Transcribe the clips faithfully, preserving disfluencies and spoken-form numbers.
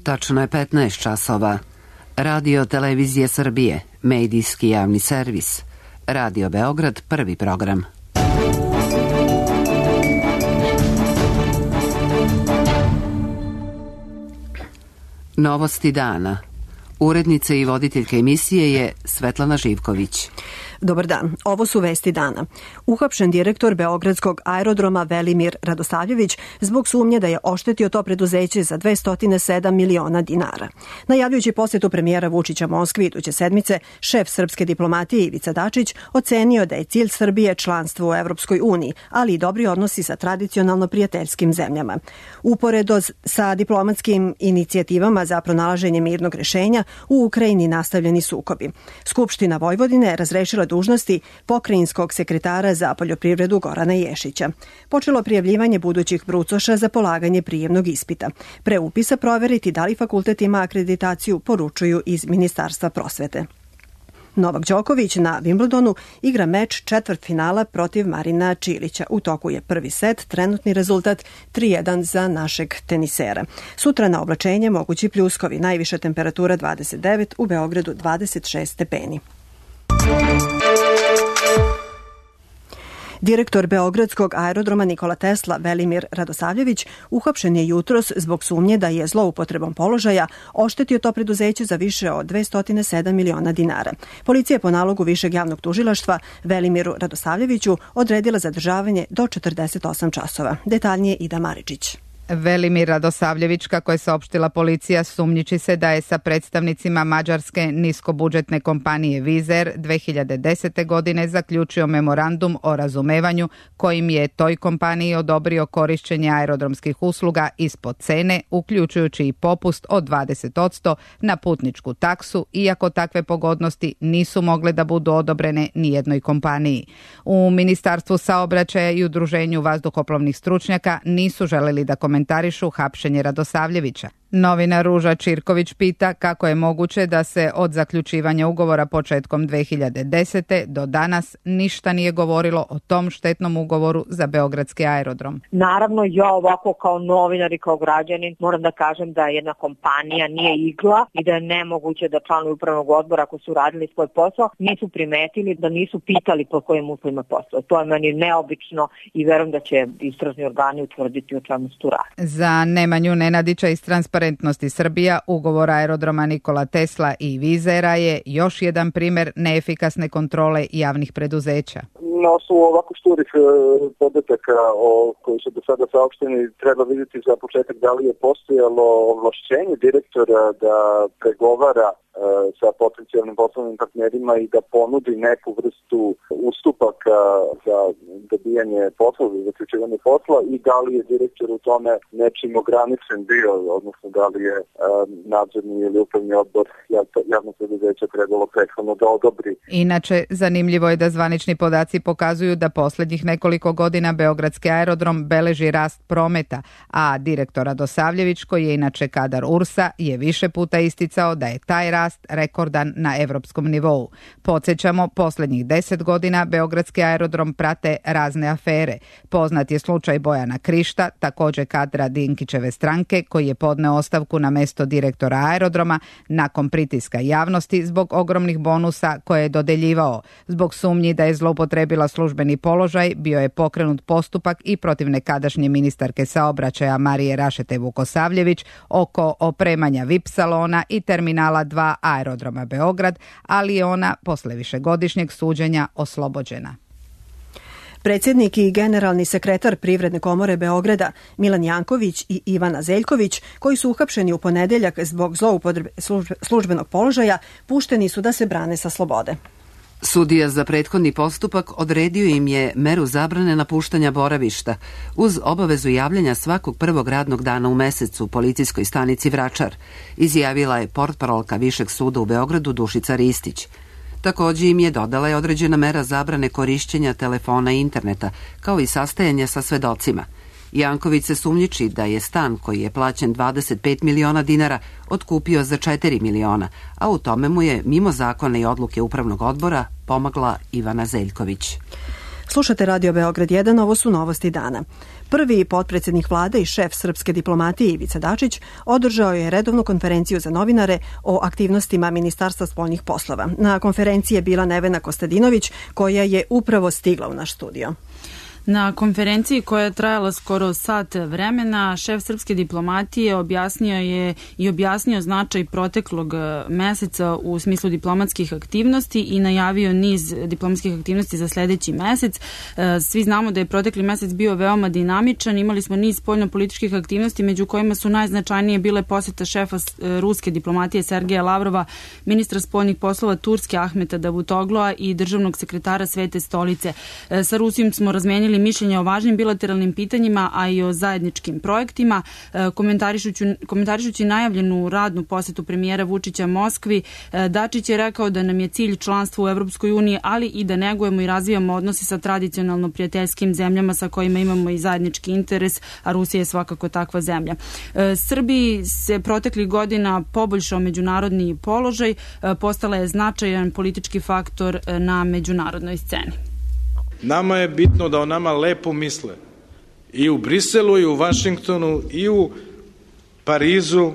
Tačno je petnaest časova. Radio Televizije Srbije, medijski javni servis. Radio Beograd, prvi program. Novosti dana. Urednica i voditeljka emisije je Svetlana Živković. Dobar dan, ovo su vesti dana. Uhapšen direktor Beogradskog aerodroma Velimir Radosavljević zbog sumnje da je oštetio to preduzeće za dvesta sedam miliona dinara. Najavljujući posjetu premijera Vučića Moskvi iduće sedmice, šef srpske diplomatije Ivica Dačić ocenio da je cilj Srbije članstvo u Evropskoj uniji, ali i dobri odnosi sa tradicionalno prijateljskim zemljama. Uporedo sa diplomatskim inicijativama za pronalaženje mirnog rešenja, u Ukrajini nastavljeni sukobi. Skupština Vojvodine razrešila dužnosti pokrajinskog sekretara za poljoprivredu Gorana Ješića. Počelo prijavljivanje budućih brucoša za polaganje prijemnog ispita. Pre upisa proveriti da li fakultet ima akreditaciju, poručuju iz Ministarstva prosvete. Novak Đoković na Wimbledonu igra meč četvrtfinala protiv Marina Čilića. U toku je prvi set, trenutni rezultat tri jedan za našeg tenisera. Sutra na oblačenje mogući pljuskovi, najviša temperatura dvadeset devet, u Beogradu dvadeset šest stepeni. Direktor Beogradskog aerodroma Nikola Tesla Velimir Radosavljević uhapšen je jutros zbog sumnje da je zloupotrebom položaja oštetio to preduzeće za više od dvesta sedam miliona dinara. Policija je po nalogu Višeg javnog tužilaštva Velimiru Radosavljeviću odredila zadržavanje do četrdeset osam časova. Detaljnije Ida Maričić. Velimir Radosavljević, kako je saopštila policija, sumnjiči se da je sa predstavnicima mađarske niskobudžetne kompanije Vizer dve hiljade desete. godine zaključio memorandum o razumevanju kojim je toj kompaniji odobrio korišćenje aerodromskih usluga ispod cene, uključujući i popust od dvadeset posto na putničku taksu, iako takve pogodnosti nisu mogle da budu odobrene nijednoj kompaniji. U Ministarstvu saobraćaja i Udruženju vazduhoplovnih stručnjaka nisu želeli da komentarišu hapšenje Radosavljevića. Novinar Ruža Čirković pita kako je moguće da se od zaključivanja ugovora početkom dve hiljade desete. do danas ništa nije govorilo o tom štetnom ugovoru za Beogradski aerodrom. Naravno, ja ovako kao novinar i kao građanin moram da kažem da jedna kompanija nije igla i da je nemoguće da članovi upravnog odbora, ako su radili svoj posao, nisu primetili, da nisu pitali po kojim uslovima posao. To je meni neobično i verujem da će istražni organi utvrditi o čemu se tu radi. Za Nemanju Nenadića iz Transparentnosti Srbija, ugovor aerodroma Nikola Tesla i Vizera je još jedan primjer neefikasne kontrole javnih preduzeća. Na osnovu ovako šturih podataka o koji su do sada saopšteni, treba vidjeti za početak da li je postojalo ovlašćenje direktora da pregovara sa potencijalnim poslovnim partnerima i da ponudi neku vrstu ustupaka za dobijanje posla, za zaključivanje posla, i da li je direktor u tome nečim ograničen bio, odnosno da li je nadzorni ili upravni odbor javnog preduzeća trebalo prethodno da odobri. Inače, zanimljivo je da zvanični podaci pokazuju da posljednjih nekoliko godina Beogradski aerodrom beleži rast prometa, a direktor Radosavljević, koji je inače kadar U R S-a, je više puta isticao da je taj rast rekordan na evropskom nivou. Podsjećamo, posljednjih deset godina Beogradski aerodrom prate razne afere. Poznat je slučaj Bojana Krišta, također kadra Dinkićeve stranke, koji je podneo ostavku na mesto direktora aerodroma nakon pritiska javnosti zbog ogromnih bonusa koje je dodeljivao. Zbog sumnji da je zloupotrebila službeni položaj, bio je pokrenut postupak i protiv nekadašnje ministarke saobraćaja Marije Rašete Vukosavljević oko opremanja V I P salona i terminala dva aerodroma Beograd, ali je ona posle višegodišnjeg suđenja oslobođena. Predsjednik i generalni sekretar Privredne komore Beograda Milan Janković i Ivana Zeljković, koji su uhapšeni u ponedeljak zbog zloupotrebe službenog položaja, pušteni su da se brane sa slobode. Sudija za prethodni postupak odredio im je meru zabrane napuštanja boravišta uz obavezu javljanja svakog prvog radnog dana u mesecu u policijskoj stanici Vračar, izjavila je portparolka Višeg suda u Beogradu Dušica Ristić. Također im je dodala je određena mera zabrane korišćenja telefona i interneta, kao i sastajanja sa svedocima. Janković se sumnjiči da je stan koji je plaćen dvadeset pet miliona dinara otkupio za četiri miliona, a u tome mu je mimo zakona i odluke upravnog odbora pomagla Ivana Zeljković. Slušate Radio Beograd jedan, ovo su novosti dana. Prvi potpredsednik vlade i šef srpske diplomatije Ivica Dačić održao je redovnu konferenciju za novinare o aktivnostima Ministarstva spoljnih poslova. Na konferenciji je bila Nevena Kostadinović, koja je upravo stigla u naš studio. Na konferenciji koja je trajala skoro sat vremena, šef srpske diplomatije objasnio je i objasnio značaj proteklog meseca u smislu diplomatskih aktivnosti i najavio niz diplomatskih aktivnosti za sledeći mesec. Svi znamo da je protekli mesec bio veoma dinamičan, imali smo niz spoljnopolitičkih aktivnosti, među kojima su najznačajnije bile poseta šefa ruske diplomatije Sergeja Lavrova, ministra spoljnih poslova Turske Ahmeta Davutogloa i državnog sekretara Svete stolice. Sa Rusijom smo razmenili mišljenja o važnim bilateralnim pitanjima, a i o zajedničkim projektima. Komentarišući, komentarišući najavljenu radnu posetu premijera Vučića Moskvi, Dačić je rekao da nam je cilj članstvo u Evropskoj uniji, ali i da negujemo i razvijamo odnose sa tradicionalno prijateljskim zemljama sa kojima imamo i zajednički interes, a Rusija je svakako takva zemlja. Srbiji se proteklih godina poboljšao međunarodni položaj, postala je značajan politički faktor na međunarodnoj sceni. Nama je bitno da o nama lepo misle. I u Briselu, i u Vašingtonu, i u Parizu,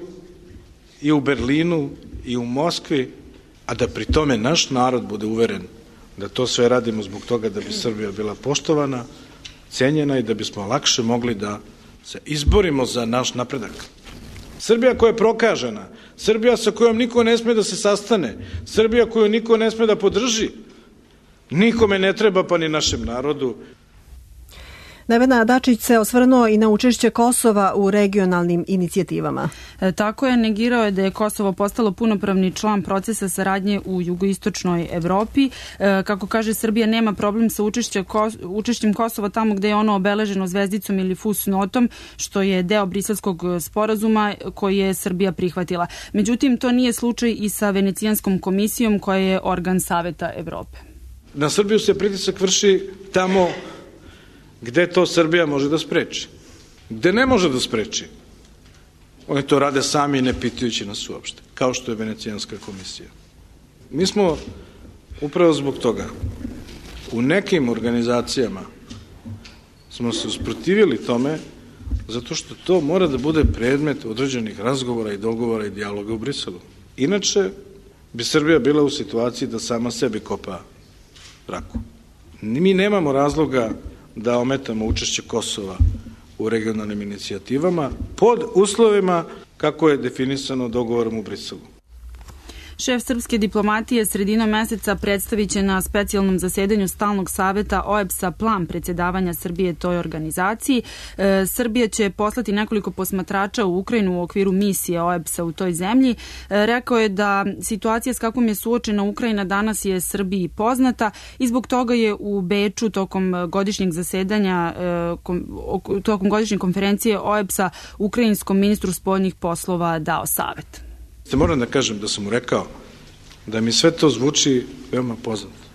i u Berlinu, i u Moskvi, a da pri tome naš narod bude uveren da to sve radimo zbog toga da bi Srbija bila poštovana, cenjena i da bismo lakše mogli da se izborimo za naš napredak. Srbija koja je prokažena, Srbija sa kojom niko ne sme da se sastane, Srbija koju niko ne sme da podrži, nikome ne treba, pa ni našem narodu. Nevena, Dačić se osvrnuo i na učešće Kosova u regionalnim inicijativama. E, tako je, negirao je da je Kosovo postalo punopravni član procesa saradnje u jugoistočnoj Evropi. E, kako kaže, Srbija nema problem sa učešće, učešćem Kosova tamo gde je ono obeleženo zvezdicom ili fusnotom, što je deo Briselskog sporazuma koji je Srbija prihvatila. Međutim, to nije slučaj i sa Venecijanskom komisijom koja je organ Saveta Evrope. Na Srbiju se pritisak vrši tamo gde to Srbija može da spreči. Gde ne može da spreči, oni to rade sami ne pitajući nas uopšte, kao što je Venecijanska komisija. Mi smo upravo zbog toga u nekim organizacijama smo se usprotivili tome zato što to mora da bude predmet određenih razgovora i dogovora i dijaloga u Briselu. Inače bi Srbija bila u situaciji da sama sebi kopa raku. Mi nemamo razloga da ometamo učešće Kosova u regionalnim inicijativama pod uslovima kako je definisano dogovorom u Briselu. Šef srpske diplomatije sredinom meseca predstavit će na specijalnom zasedanju stalnog saveta O E B S-a plan predsjedavanja Srbije toj organizaciji. E, Srbija će poslati nekoliko posmatrača u Ukrajinu u okviru misije O E B S-a u toj zemlji. E, rekao je da situacija s kakvom je suočena Ukrajina danas je Srbiji poznata i zbog toga je u Beču tokom godišnjeg zasedanja, e, kom, tokom godišnje konferencije O E B S-a ukrajinskom ministru spoljnih poslova dao savet. Moram da kažem da sam mu rekao da mi sve to zvuči veoma poznato,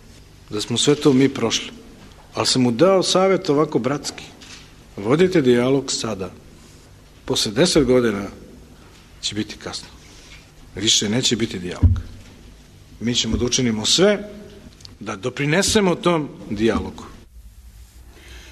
da smo sve to mi prošli, ali sam mu dao savjet ovako bratski. Vodite dijalog sada. Posle deset godina će biti kasno. Više neće biti dijalog. Mi ćemo da učinimo sve da doprinesemo tom dijalogu.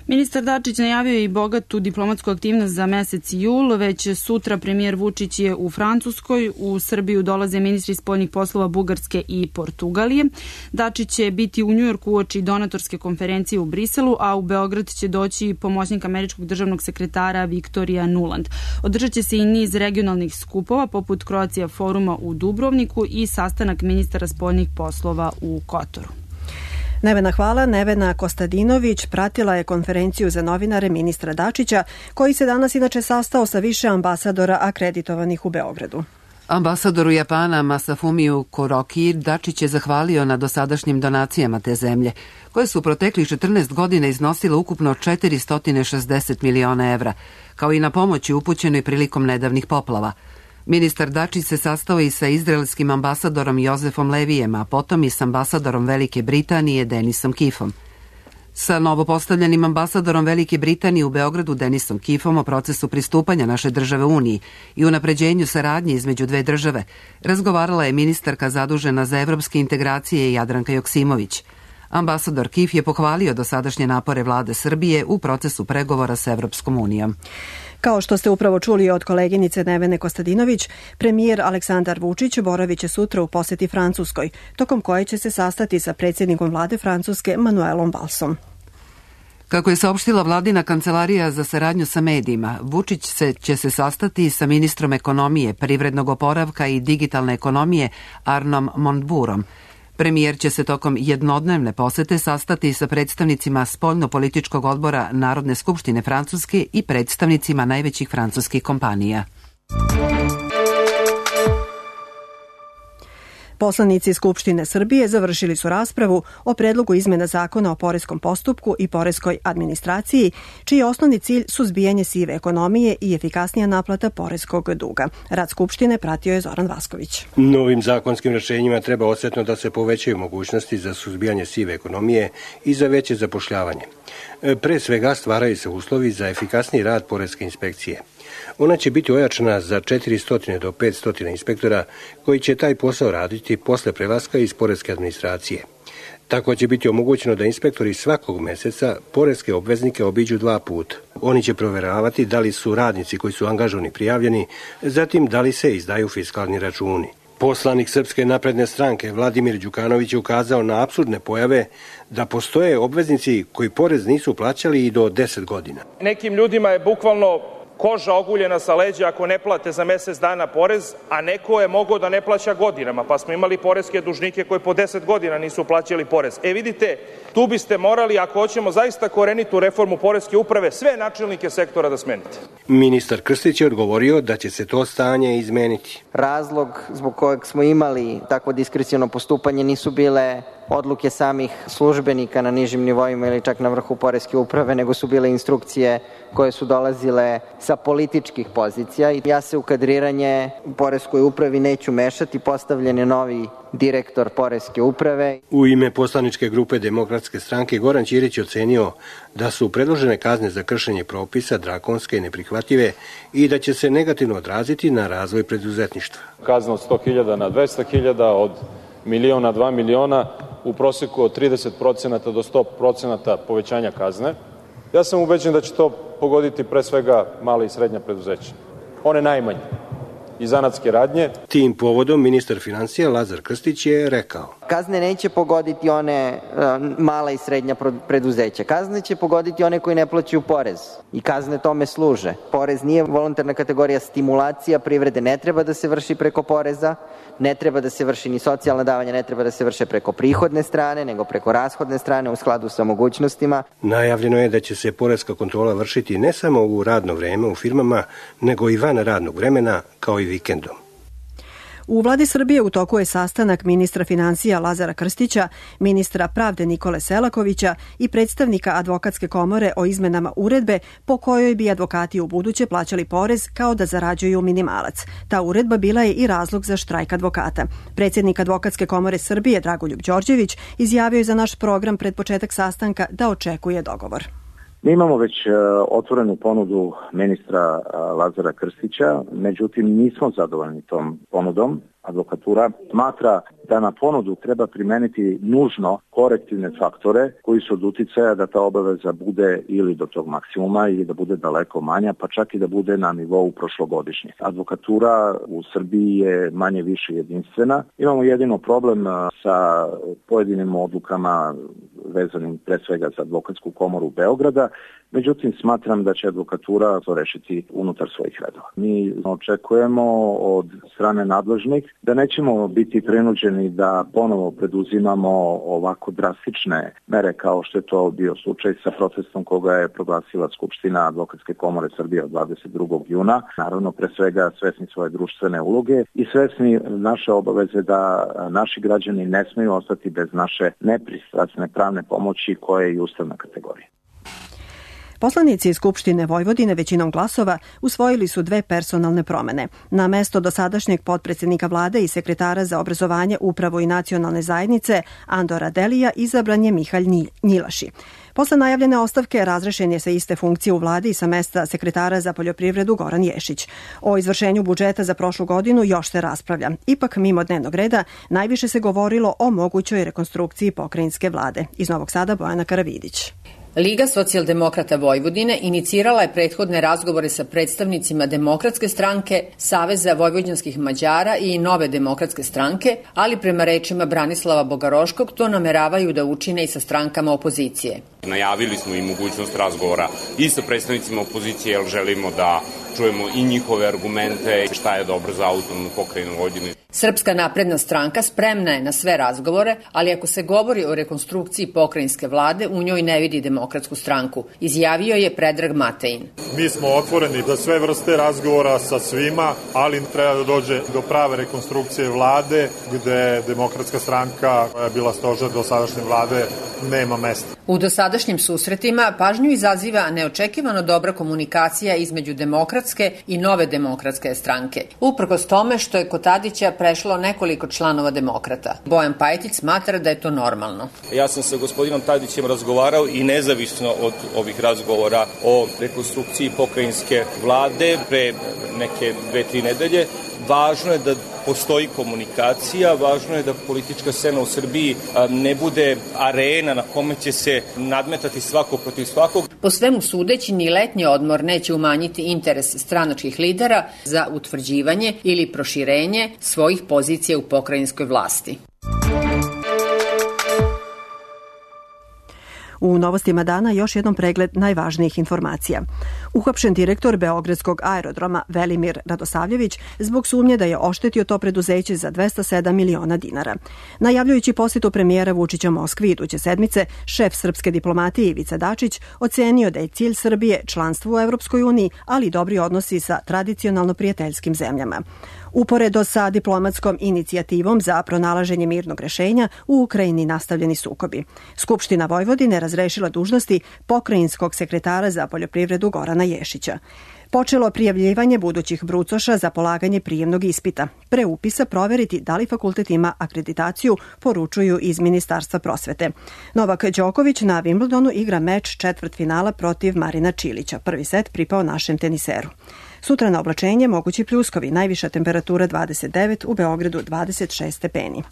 Ministar Dačić najavio je i bogatu diplomatsku aktivnost za mesec jul. Već sutra premijer Vučić je u Francuskoj. U Srbiju dolaze ministri spoljnih poslova Bugarske i Portugalije. Dačić će biti u Njujorku uoči donatorske konferencije u Briselu, a u Beograd će doći pomoćnik američkog državnog sekretara Viktorija Nuland. Održat će se i niz regionalnih skupova, poput Croatia foruma u Dubrovniku i sastanak ministara spoljnih poslova u Kotoru. Nevena, hvala. Nevena Kostadinović pratila je konferenciju za novinare ministra Dačića, koji se danas inače sastao sa više ambasadora akreditovanih u Beogradu. Ambasadoru Japana Masafumiju Kuroki Dačić je zahvalio na dosadašnjim donacijama te zemlje, koje su proteklih četrnaest godina iznosile ukupno četiristo šezdeset miliona evra, kao i na pomoći upućenoj prilikom nedavnih poplava. Ministar Dačić se sastao i sa izraelskim ambasadorom Jozefom Levijem, a potom i s ambasadorom Velike Britanije Denisom Kifom. Sa novopostavljenim ambasadorom Velike Britanije u Beogradu Denisom Kifom o procesu pristupanja naše države Uniji i unapređenju saradnje između dve države razgovarala je ministarka zadužena za evropske integracije Jadranka Joksimović. Ambasador Kif je pohvalio dosadašnje napore vlade Srbije u procesu pregovora s Evropskom unijom. Kao što ste upravo čuli od koleginice Nevene Kostadinović, premijer Aleksandar Vučić boravit će sutra u poseti Francuskoj, tokom koje će se sastati sa predsjednikom vlade Francuske Manuelom Valsom. Kako je saopštila vladina kancelarija za saradnju sa medijima, Vučić se, će se sastati sa ministrom ekonomije, privrednog oporavka i digitalne ekonomije Arnom Montburom. Premijer će se tokom jednodnevne posete sastati sa predstavnicima spoljno-političkog odbora Narodne skupštine Francuske i predstavnicima najvećih francuskih kompanija. Poslanici Skupštine Srbije završili su raspravu o predlogu izmena zakona o poreskom postupku i poreskoj administraciji, čiji je osnovni cilj suzbijanje sive ekonomije i efikasnija naplata poreskog duga. Rad Skupštine pratio je Zoran Vasković. Novim zakonskim rešenjima treba osjetno da se povećaju mogućnosti za suzbijanje sive ekonomije i za veće zapošljavanje. Pre svega stvaraju se uslovi za efikasniji rad poreske inspekcije. Ona će biti ojačana za četiristo do petsto inspektora koji će taj posao raditi posle prelaska iz poreske administracije. Tako će biti omogućeno da inspektori svakog meseca poreske obveznike obiđu dva puta. Oni će proveravati da li su radnici koji su angažovani prijavljeni, zatim da li se izdaju fiskalni računi. Poslanik Srpske napredne stranke Vladimir Đukanović je ukazao na apsurdne pojave da postoje obveznici koji porez nisu plaćali i do deset godina. Nekim ljudima je bukvalno koža oguljena sa leđa ako ne plate za mesec dana porez, a neko je mogao da ne plaća godinama, pa smo imali poreske dužnike koji po deset godina nisu plaćali porez. E vidite, tu biste morali, ako hoćemo zaista korenitu reformu poreske uprave, sve načelnike sektora da smenite. Ministar Krstić je odgovorio da će se to stanje izmeniti. Razlog zbog kojeg smo imali takvo diskreciono postupanje nisu bile odluke samih službenika na nižim nivoima ili čak na vrhu poreske uprave, nego su bile instrukcije koje su dolazile sa političkih pozicija. I ja se u kadriranje u poreskoj upravi neću mešati, postavljen je novi direktor poreske uprave. U ime poslaničke grupe Demokratske stranke Goran Ćirić ocenio da su predložene kazne za kršenje propisa drakonske i neprihvatljive i da će se negativno odraziti na razvoj preduzetništva. Kazna od sto hiljada na dvesta hiljada, od miliona na dva miliona, u proseku od trideset procenata do sto procenata povećanja kazne. Ja sam ubeđen da će to pogoditi pre svega mala i srednja preduzeća. One najmanje i zanatske radnje. Tim povodom ministar finansija Lazar Krstić je rekao: Kazne neće pogoditi one uh, mala i srednja preduzeća. Kazne će pogoditi one koji ne plaćaju porez. I kazne tome služe. Porez nije volontarna kategorija, stimulacija privrede ne treba da se vrši preko poreza, ne treba da se vrši ni socijalna davanja, ne treba da se vrše preko prihodne strane, nego preko rashodne strane u skladu sa mogućnostima. Najavljeno je da će se poreska kontrola vršiti ne samo u radno vreme u firmama, nego i van radnog vremena, kao i vikendom. U vladi Srbije u toku je sastanak ministra finansija Lazara Krstića, ministra pravde Nikole Selakovića i predstavnika advokatske komore o izmenama uredbe po kojoj bi advokati u buduće plaćali porez kao da zarađuju minimalac. Ta uredba bila je i razlog za štrajk advokata. Predsjednik advokatske komore Srbije Dragoljub Đorđević izjavio je za naš program pred početak sastanka da očekuje dogovor. Mi imamo već otvorenu ponudu ministra Lazara Krstića, međutim nismo zadovoljni tom ponudom. Advokatura smatra da na ponudu treba primeniti nužno korektivne faktore koji su od uticaja da ta obaveza bude ili do tog maksimuma ili da bude daleko manja, pa čak i da bude na nivou prošlogodišnjih. Advokatura u Srbiji je manje više jedinstvena. Imamo jedino problem sa pojedinim odlukama vezanim pre svega za advokatsku komoru Beograda, međutim smatram da će advokatura to rešiti unutar svojih redova. Mi očekujemo od strane nadležnih da nećemo biti prinuđeni da ponovo preduzimamo ovako drastične mere kao što je to bio slučaj sa protestom koga je proglasila Skupština Advokatske komore Srbije od dvadeset drugog juna. Naravno, pre svega svesni svoje društvene uloge i svesni naše obaveze da naši građani ne smeju ostati bez naše nepristrasne pravne pomoći koja je i ustavna kategorija. Poslanici iz Skupštine Vojvodine većinom glasova usvojili su dve personalne promene. Na mesto dosadašnjeg potpredsjednika vlade i sekretara za obrazovanje, upravu i nacionalne zajednice Andora Delija izabran je Mihalj Njilaši. Posle najavljene ostavke razrešen je sa iste funkcije u vladi i sa mesta sekretara za poljoprivredu Goran Ješić. O izvršenju budžeta za prošlu godinu još se raspravlja. Ipak, mimo dnevnog reda, najviše se govorilo o mogućoj rekonstrukciji pokrajinske vlade. Iz Novog Sada Bojana Karavidić. Liga socijaldemokrata Vojvodine inicirala je prethodne razgovore sa predstavnicima Demokratske stranke, Saveza vojvođanskih Mađara i Nove demokratske stranke, ali prema rečima Branislava Bogaroškog to nameravaju da učine i sa strankama opozicije. Najavili smo i mogućnost razgovora i sa predstavnicima opozicije, jer želimo da čujemo i njihove argumente, šta je dobro za autonomnu pokrajinu Vojvodine. Srpska napredna stranka spremna je na sve razgovore, ali ako se govori o rekonstrukciji pokrajinske vlade, u njoj ne vidi Demokratsku stranku, izjavio je Predrag Matejin. Mi smo otvoreni za sve vrste razgovora sa svima, ali treba da dođe do prave rekonstrukcije vlade, gde Demokratska stranka, koja je bila stožer do sadašnje vlade, nema mesta. U dosadašnjim susretima pažnju izaziva neočekivano dobra komunikacija između Demokratske i Nove demokratske stranke. Uprkos tome što je kod Tadića prešlo nekoliko članova Demokrata. Bojan Pajtić smatra da je to normalno. Ja sam sa gospodinom Tadićem razgovarao i nezavisno od ovih razgovora o rekonstrukciji pokrajinske vlade pre neke dve, tri nedelje. Važno je da postoji komunikacija, važno je da politička scena u Srbiji ne bude arena na kome će se nadmetati svako protiv svakog. Po svemu sudeći, ni letnji odmor neće umanjiti interes stranačkih lidera za utvrđivanje ili proširenje svojih pozicija u pokrajinskoj vlasti. U novostima dana još jednom pregled najvažnijih informacija. Uhapšen direktor Beogradskog aerodroma Velimir Radosavljević zbog sumnje da je oštetio to preduzeće za dvesta sedam miliona dinara. Najavljujući posjetu premijera Vučića Moskvi iduće sedmice, šef srpske diplomatije Ivica Dačić ocenio da je cilj Srbije članstvo u Evropskoj uniji, ali i dobri odnosi sa tradicionalno prijateljskim zemljama. Uporedo sa diplomatskom inicijativom za pronalaženje mirnog rešenja, u Ukrajini nastavljeni sukobi. Skupština Vojvodine razrešila dužnosti pokrajinskog sekretara za poljoprivredu Gorana Ješića. Počelo prijavljivanje budućih brucoša za polaganje prijemnog ispita. Pre upisa proveriti da li fakultet ima akreditaciju, poručuju iz Ministarstva prosvete. Novak Đoković na Wimbledonu igra meč četvrtfinala protiv Marina Čilića. Prvi set pripao našem teniseru. Sutra na oblačenje mogući pljuskovi, najviša temperatura dvadeset devet, u Beogradu dvadeset šest stepeni.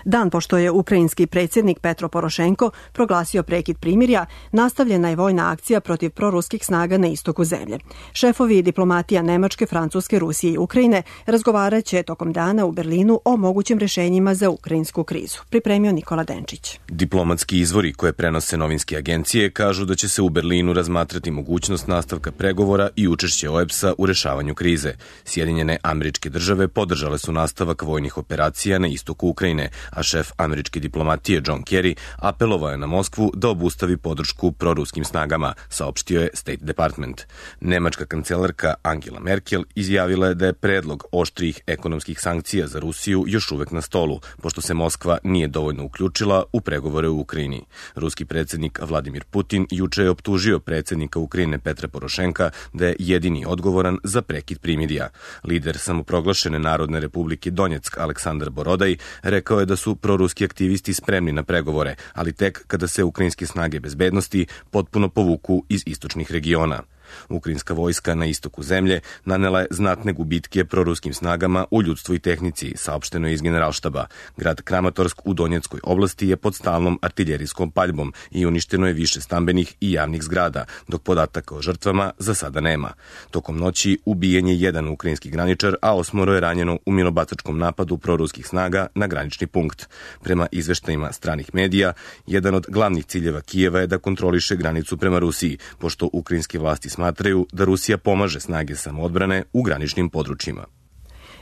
Dan pošto je ukrajinski predsjednik Petro Porošenko proglasio prekid primirja, nastavljena je vojna akcija protiv proruskih snaga na istoku zemlje. Šefovi diplomatija Nemačke, Francuske, Rusije i Ukrajine razgovarat će tokom dana u Berlinu o mogućim rešenjima za ukrajinsku krizu. Pripremio Nikola Denčić. Diplomatski izvori koje prenose novinske agencije kažu da će se u Berlinu razmatrati mogućnost nastavka pregovora i učešće O E B S-a u rešavanju krize. Sjedinjene Američke Države podržale su nastavak vojnih operacija na istoku Ukrajine, a šef američke diplomatije John Kerry apelovao je na Moskvu da obustavi podršku proruskim snagama, saopštio je State Department. Nemačka kancelarka Angela Merkel izjavila je da je predlog oštrijih ekonomskih sankcija za Rusiju još uvek na stolu, pošto se Moskva nije dovoljno uključila u pregovore u Ukrajini. Ruski predsjednik Vladimir Putin juče je optužio predsjednika Ukrajine Petra Porošenka da je jedini odgovoran za prekid primirja. Lider samoproglašene Narodne republike Donjeck Aleksandar Borodaj rekao je da su proruski aktivisti spremni na pregovore, ali tek kada se ukrajinske snage bezbednosti potpuno povuku iz istočnih regiona. Ukrajinska vojska na istoku zemlje nanela je znatne gubitke proruskim snagama u ljudstvu i tehnici, saopšteno je iz Generalštaba. Grad Kramatorsk u Donjeckoj oblasti je pod stalnom artiljerijskom paljbom i uništeno je više stambenih i javnih zgrada, dok podataka o žrtvama za sada nema. Tokom noći ubijen je jedan ukrajinski graničar, a osmoro je ranjeno u minobacačkom napadu proruskih snaga na granični punkt. Prema izveštajima stranih medija, jedan od glavnih ciljeva Kijeva je da kontroliše granicu prema Rusiji, pošto ukrajinske vlasti smatraju da Rusija pomaže snage samoodbrane u graničnim područjima.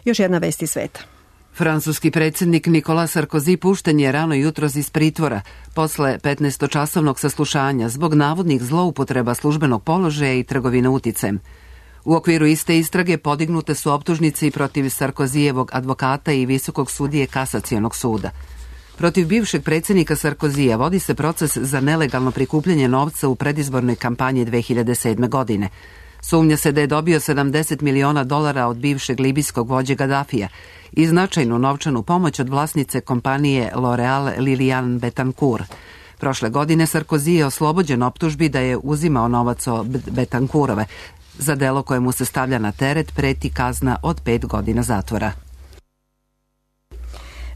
Još jedna vest iz sveta. Francuski predsjednik Nicolas Sarkozy pušten je rano jutros iz pritvora posle petnaestočasovnog saslušanja zbog navodnih zloupotreba službenog položaja i trgovine uticajem. U okviru iste istrage podignute su optužnice i protiv Sarkozijevog advokata i visokog sudije Kasacionog suda. Protiv bivšeg predsjednika Sarkozija vodi se proces za nelegalno prikupljanje novca u predizbornoj kampanji dve hiljade sedme. godine. Sumnja se da je dobio sedamdeset miliona dolara od bivšeg libijskog vođe Gadafija i značajnu novčanu pomoć od vlasnice kompanije L'Oreal Liliane Betancourt. Prošle godine Sarkozy je oslobođen optužbi da je uzimao novac od Betancourtove. Za delo koje mu se stavlja na teret preti kazna od pet godina zatvora.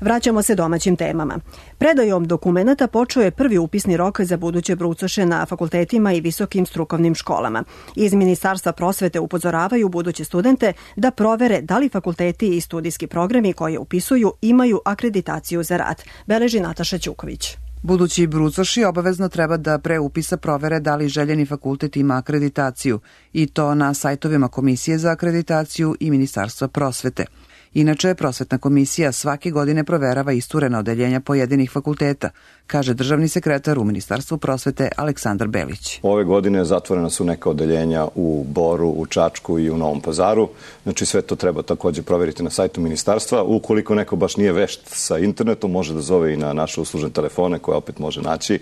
Vraćamo se domaćim temama. Predajom dokumenata počeo je prvi upisni rok za buduće brucoše na fakultetima i visokim strukovnim školama. Iz Ministarstva prosvete upozoravaju buduće studente da provere da li fakulteti i studijski programi koje upisuju imaju akreditaciju za rad. Beleži Nataša Ćuković. Budući brucoši obavezno treba da pre upisa provere da li željeni fakultet ima akreditaciju, i to na sajtovima Komisije za akreditaciju i Ministarstva prosvete. Inače, prosvetna komisija svake godine proverava isturena odeljenja pojedinih fakulteta, kaže državni sekretar u Ministarstvu prosvete Aleksandar Belić. Ove godine zatvorena su neka odeljenja u Boru, u Čačku i u Novom Pazaru. Znači sve to treba takođe proveriti na sajtu ministarstva. Ukoliko neko baš nije vešt sa internetom, može da zove i na naše uslužne telefone koje opet može naći.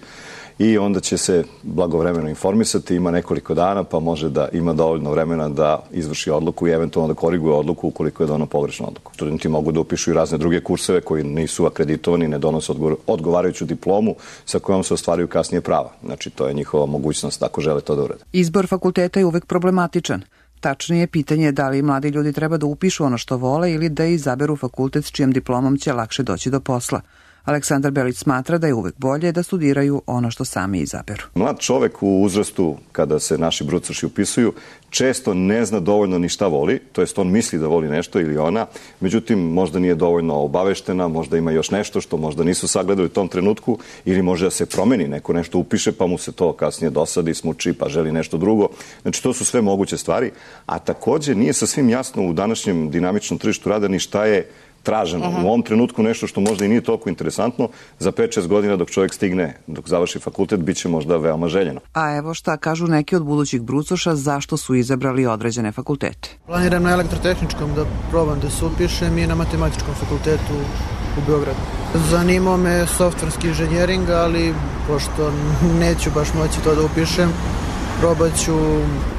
I onda će se blagovremeno informisati, ima nekoliko dana, pa može da ima dovoljno vremena da izvrši odluku i eventualno da koriguje odluku ukoliko je dono pogrešnu odluku. Studenti mogu da upišu i razne druge kurseve koji nisu akreditovani, ne donose odgovarajuću diplomu sa kojom se ostvaruju kasnije prava. Znači, to je njihova mogućnost ako žele to da urade. Izbor fakulteta je uvek problematičan. Tačnije pitanje je da li mladi ljudi treba da upišu ono što vole ili da izaberu fakultet s čijom diplomom će lakše doći do posla. Aleksandar Belić smatra da je uvek bolje da studiraju ono što sami izaberu. Mlad čovek u uzrastu, kada se naši brucoši upisuju, često ne zna dovoljno ni šta voli, to jest on misli da voli nešto ili ona, međutim možda nije dovoljno obaveštena, možda ima još nešto što možda nisu sagledali u tom trenutku ili može da se promeni, neko nešto upiše pa mu se to kasnije dosadi, smuči pa želi nešto drugo. Znači to su sve moguće stvari, a takođe nije sasvim jasno u današnjem dinamičnom tržištu rada ni šta je traženo. Uh -huh. U ovom trenutku nešto što možda i nije toliko interesantno, za pet šest godina dok čovjek stigne, dok završi fakultet, bit će možda veoma željeno. A evo šta kažu neki od budućih brucoša zašto su izabrali određene fakultete. Planiram na elektrotehničkom da probam da se upišem i na matematičkom fakultetu u Beogradu. Zanimao me softverski inženjering, ali pošto neću baš moći to da upišem, probat ću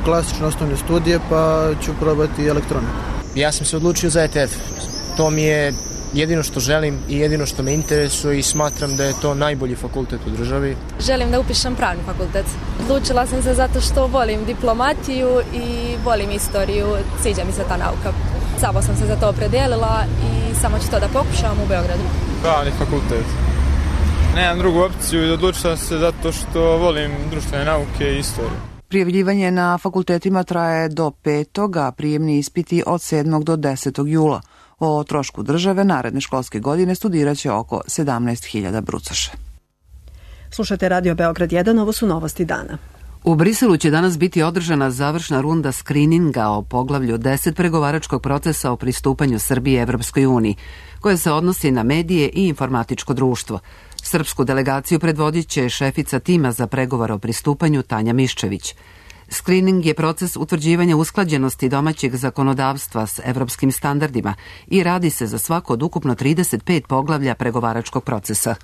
klasične osnovne studije, pa ću probati elektroniku. Ja sam se odlučio za E T F. To mi je jedino što želim i jedino što me interesuje i smatram da je to najbolji fakultet u državi. Želim da upišem pravni fakultet. Odlučila sam se zato što volim diplomatiju i volim istoriju, sviđa mi se ta nauka. Samo sam se za to opredijelila i samo ću to da pokušam u Beogradu. Pravni fakultet. Nemam drugu opciju i odlučila sam se zato što volim društvene nauke i istoriju. Prijavljivanje na fakultetima traje do petog, a prijemni ispiti od sedmog do desetog jula. O trošku države naredne školske godine studiraće oko sedamnaest hiljada brucoša. Slušate Radio Beograd jedan, ovo su novosti dana. U Briselu će danas biti održana završna runda skrininga o poglavlju deset pregovaračkog procesa o pristupanju Srbije Evropskoj uniji, koje se odnosi na medije i informatičko društvo. Srpsku delegaciju predvodit će šefica tima za pregovor o pristupanju Tanja Miščević. Screening je proces utvrđivanja usklađenosti domaćeg zakonodavstva s evropskim standardima i radi se za svako od ukupno trideset pet poglavlja pregovaračkog procesa.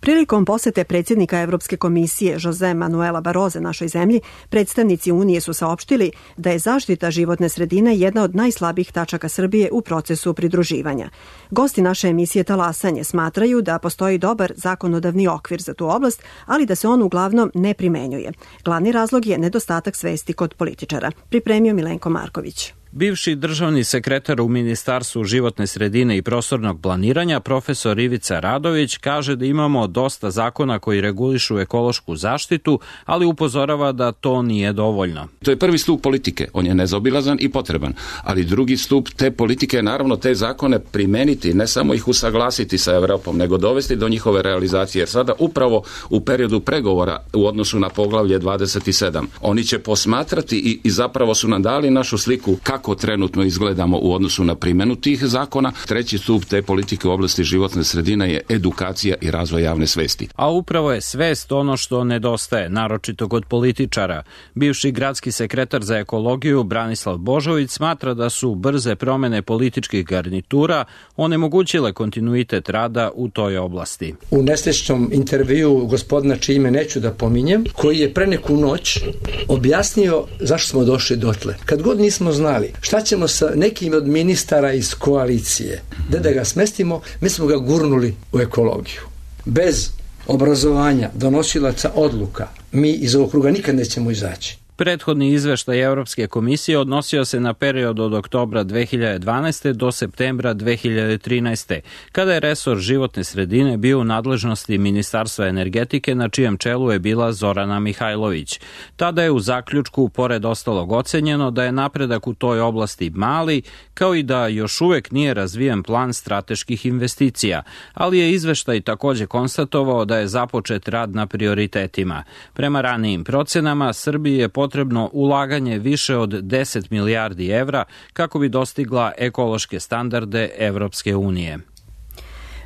Prilikom posete predsjednika Evropske komisije Jose Manuela Barroze našoj zemlji, predstavnici Unije su saopštili da je zaštita životne sredine jedna od najslabijih tačaka Srbije u procesu pridruživanja. Gosti naše emisije Talasanje smatraju da postoji dobar zakonodavni okvir za tu oblast, ali da se on uglavnom ne primenjuje. Glavni razlog je nedostatak svesti kod političara. Pripremio Milenko Marković. Bivši državni sekretar u Ministarstvu životne sredine i prostornog planiranja, profesor Ivica Radović, kaže da imamo dosta zakona koji regulišu ekološku zaštitu, ali upozorava da to nije dovoljno. To je prvi stup politike, on je nezaobilazan i potreban, ali drugi stup te politike je naravno te zakone primeniti, ne samo ih usaglasiti sa Evropom, nego dovesti do njihove realizacije, jer sada upravo u periodu pregovora u odnosu na poglavlje dvadeset sedam, oni će posmatrati i, i zapravo su nam dali našu sliku kako kako trenutno izgledamo u odnosu na primjenu tih zakona. Treći stup te politike u oblasti životne sredine je edukacija i razvoj javne svesti. A upravo je svest ono što nedostaje, naročito kod političara. Bivši gradski sekretar za ekologiju Branislav Božović smatra da su brze promene političkih garnitura onemogućile kontinuitet rada u toj oblasti. U nesrećnom intervju gospodina čije ime neću da pominjem, koji je pre neku noć objasnio zašto smo došli dotle. Kad god nismo znali šta ćemo sa nekim od ministara iz koalicije, da da ga smestimo, mi smo ga gurnuli u ekologiju. Bez obrazovanja donosilaca odluka mi iz ovog kruga nikad nećemo izaći. Prethodni izveštaj Evropske komisije odnosio se na period od oktobra dve hiljade dvanaeste. do septembra dve hiljade trinaeste. kada je resor životne sredine bio u nadležnosti Ministarstva energetike, na čijem čelu je bila Zorana Mihajlović. Tada je u zaključku, pored ostalog, ocenjeno da je napredak u toj oblasti mali, kao i da još uvek nije razvijen plan strateških investicija, ali je izveštaj takođe konstatovao da je započet rad na prioritetima. Prema ranijim procenama, Srbiji je potrebno ulaganje više od deset milijardi evra kako bi dostigla ekološke standarde Evropske unije.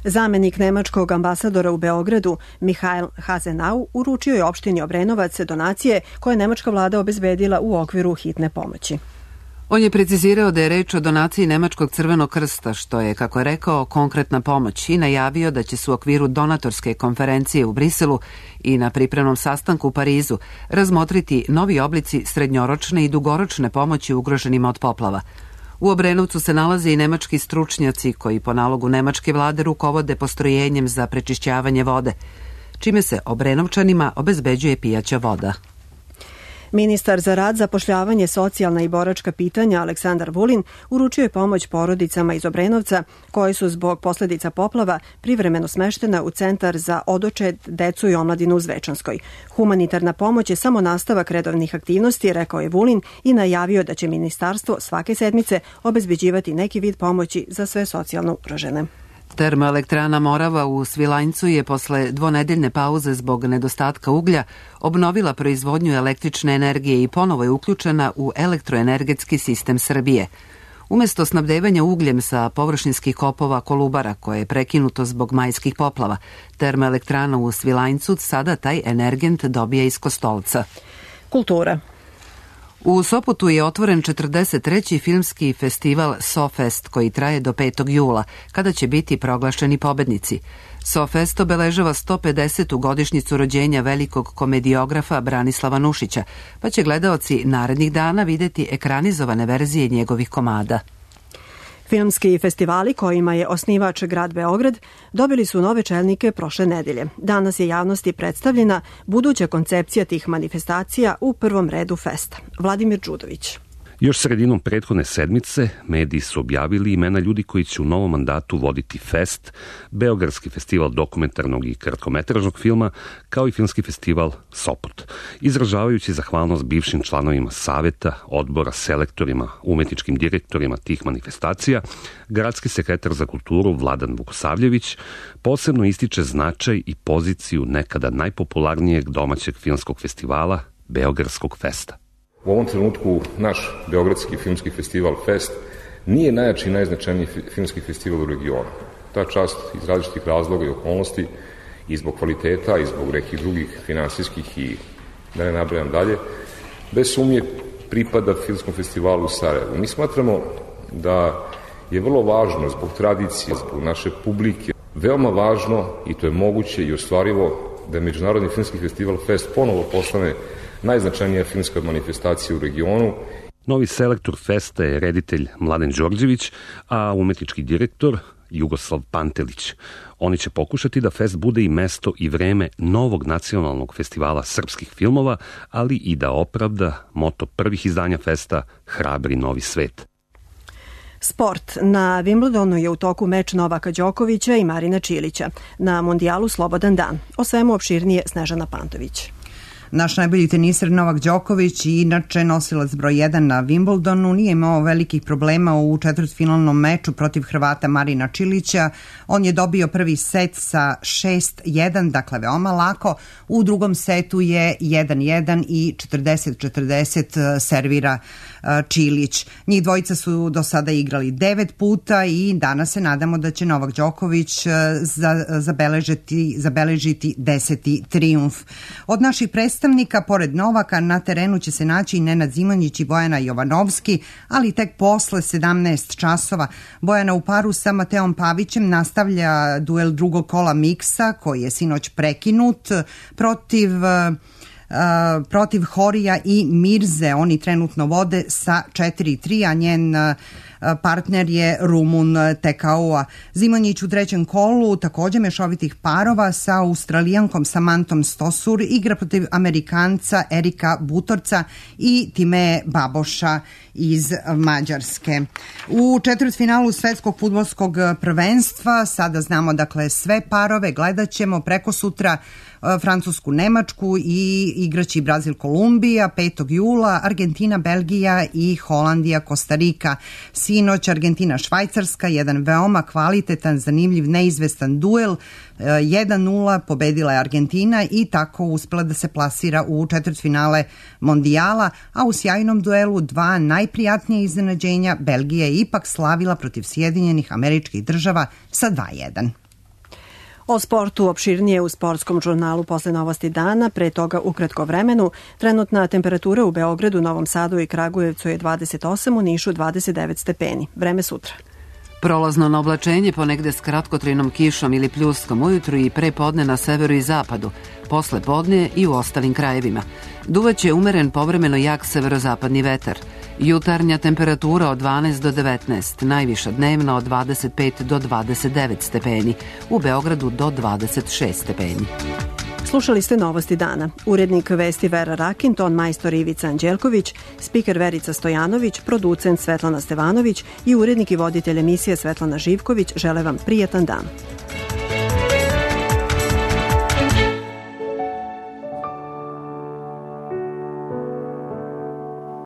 Zamenik nemačkog ambasadora u Beogradu, Mihail Hazenau, uručio je opštini Obrenovac donacije koje je nemačka vlada obezbedila u okviru hitne pomoći. On je precizirao da je reč o donaciji Nemačkog crvenog krsta, što je, kako je rekao, konkretna pomoć, i najavio da će se u okviru donatorske konferencije u Briselu i na pripremnom sastanku u Parizu razmotriti novi oblici srednjoročne i dugoročne pomoći ugroženima od poplava. U Obrenovcu se nalaze i nemački stručnjaci koji po nalogu nemačke vlade rukovode postrojenjem za prečišćavanje vode, čime se Obrenovčanima obezbeđuje pijaća voda. Ministar za rad, zapošljavanje, socijalna i boračka pitanja Aleksandar Vulin uručio je pomoć porodicama iz Obrenovca koje su zbog posledica poplava privremeno smeštena u centar za odočed, decu i omladinu u Zvečanskoj. Humanitarna pomoć je samo nastavak redovnih aktivnosti, rekao je Vulin, i najavio da će ministarstvo svake sedmice obezbeđivati neki vid pomoći za sve socijalno ugrožene. Termoelektrana Morava u Svilajncu je posle dvonedeljne pauze zbog nedostatka uglja obnovila proizvodnju električne energije i ponovo je uključena u elektroenergetski sistem Srbije. Umesto snabdevanja ugljem sa površinskih kopova Kolubara, koje je prekinuto zbog majskih poplava, termoelektrana u Svilajncu sada taj energent dobija iz Kostolca. Kultura. U Sopotu je otvoren četrdeset treći filmski festival SoFest koji traje do petog jula, kada će biti proglašeni pobednici. SoFest obeležava sto pedesetu godišnjicu rođenja velikog komediografa Branislava Nušića, pa će gledaoci narednih dana videti ekranizovane verzije njegovih komada. Filmski festivali kojima je osnivač grad Beograd dobili su nove čelnike prošle nedelje. Danas je javnosti predstavljena buduća koncepcija tih manifestacija, u prvom redu festa. Vladimir Đudović. Još sredinom prethodne sedmice mediji su objavili imena ljudi koji će u novom mandatu voditi Fest, Beogradski festival dokumentarnog i kratkometražnog filma, kao i filmski festival Sopot. Izražavajući zahvalnost bivšim članovima saveta, odbora, selektorima, umetničkim direktorima tih manifestacija, gradski sekretar za kulturu Vladan Vukosavljević posebno ističe značaj i poziciju nekada najpopularnijeg domaćeg filmskog festivala, Beogradskog festa. U ovom trenutku naš Beogradski filmski festival Fest nije najjači i najznačajniji filmski festival u regionu. Ta čast iz različitih razloga i okolnosti, i zbog kvaliteta, i zbog nekih drugih finansijskih i da ne nabrajam dalje, bez sumnje pripada filmskom festivalu u Sarajevu. Mi smatramo da je vrlo važno zbog tradicije, zbog naše publike, veoma važno, i to je moguće i ostvarivo, da je Međunarodni filmski festival Fest ponovo postane najznačajnija filmska manifestacija u regionu. Novi selektor festa je reditelj Mladen Đorđević, a umetnički direktor Jugoslav Pantelić. Oni će pokušati da fest bude i mesto i vreme novog nacionalnog festivala srpskih filmova, ali i da opravda moto prvih izdanja festa Hrabri novi svet. Sport. Na Wimbledonu je u toku meč Novaka Đokovića i Marina Čilića. Na Mundijalu slobodan dan. O svemu opširnije Snežana Pantović. Naš najbolji teniser Novak Đoković, inače nosilac broj jedan na Wimbledonu, nije imao velikih problema u četvrtfinalnom meču protiv Hrvata Marina Čilića. On je dobio prvi set sa šest jedan, dakle veoma lako. U drugom setu je jedan jedan i četrdeset četrdeset servira Čilić. Njih dvojica su do sada igrali devet puta i danas se nadamo da će Novak Đoković za, zabeležiti, zabeležiti deseti trijumf. Od naših predstavnika, pored Novaka, na terenu će se naći i Nenad Zimonjić i Bojana Jovanovski, ali tek posle sedamnaest časova. Bojana u paru sa Mateom Pavićem nastavlja duel drugog kola miksa, koji je sinoć prekinut protiv... Uh, protiv Horija i Mirze. Oni trenutno vode sa četiri tri, a njen uh, partner je Rumun Tekaua. Zimonjić u trećem kolu takođe mešovitih parova sa Australijankom Samantom Stosur igra protiv Amerikanca Erika Butorca i Timeje Baboša iz Mađarske. U četvrtfinalu svetskog fudbalskog prvenstva sada znamo dakle sve parove, gledat ćemo preko sutra Francusku, Nemačku i igraći Brazil, Kolumbija, petog jula, Argentina, Belgija i Holandija, Kostarika. Sinoć Argentina, Švajcarska, jedan veoma kvalitetan, zanimljiv, neizvestan duel. jedan nula pobedila je Argentina i tako uspela da se plasira u četvrtfinale mondijala, a u sjajnom duelu dva najprijatnije iznenađenja Belgija je ipak slavila protiv Sjedinjenih Američkih Država sa dva jedan. O sportu opširnije u sportskom žurnalu posle novosti dana, pre toga u kratko vremenu. Trenutna temperatura u Beogradu, Novom Sadu i Kragujevcu je dvadeset osam, u Nišu dvadeset devet stepeni. Vreme sutra. Prolazno na oblačenje ponegde s kratkotrajnom kišom ili pljuskom ujutru i pre podne na severu i zapadu, posle podne i u ostalim krajevima. Duvaće umeren povremeno jak severozapadni vetar. Jutarnja temperatura od dvanaest do devetnaest, najviša dnevna od dvadeset pet do dvadeset devet stepeni, u Beogradu do dvadeset šest stepeni. Slušali ste novosti dana. Urednik vesti Vera Rakin, ton majstor Ivica Anđelković, spiker Verica Stojanović, producent Svetlana Stevanović i urednik i voditelj emisije Svetlana Živković žele vam prijatan dan.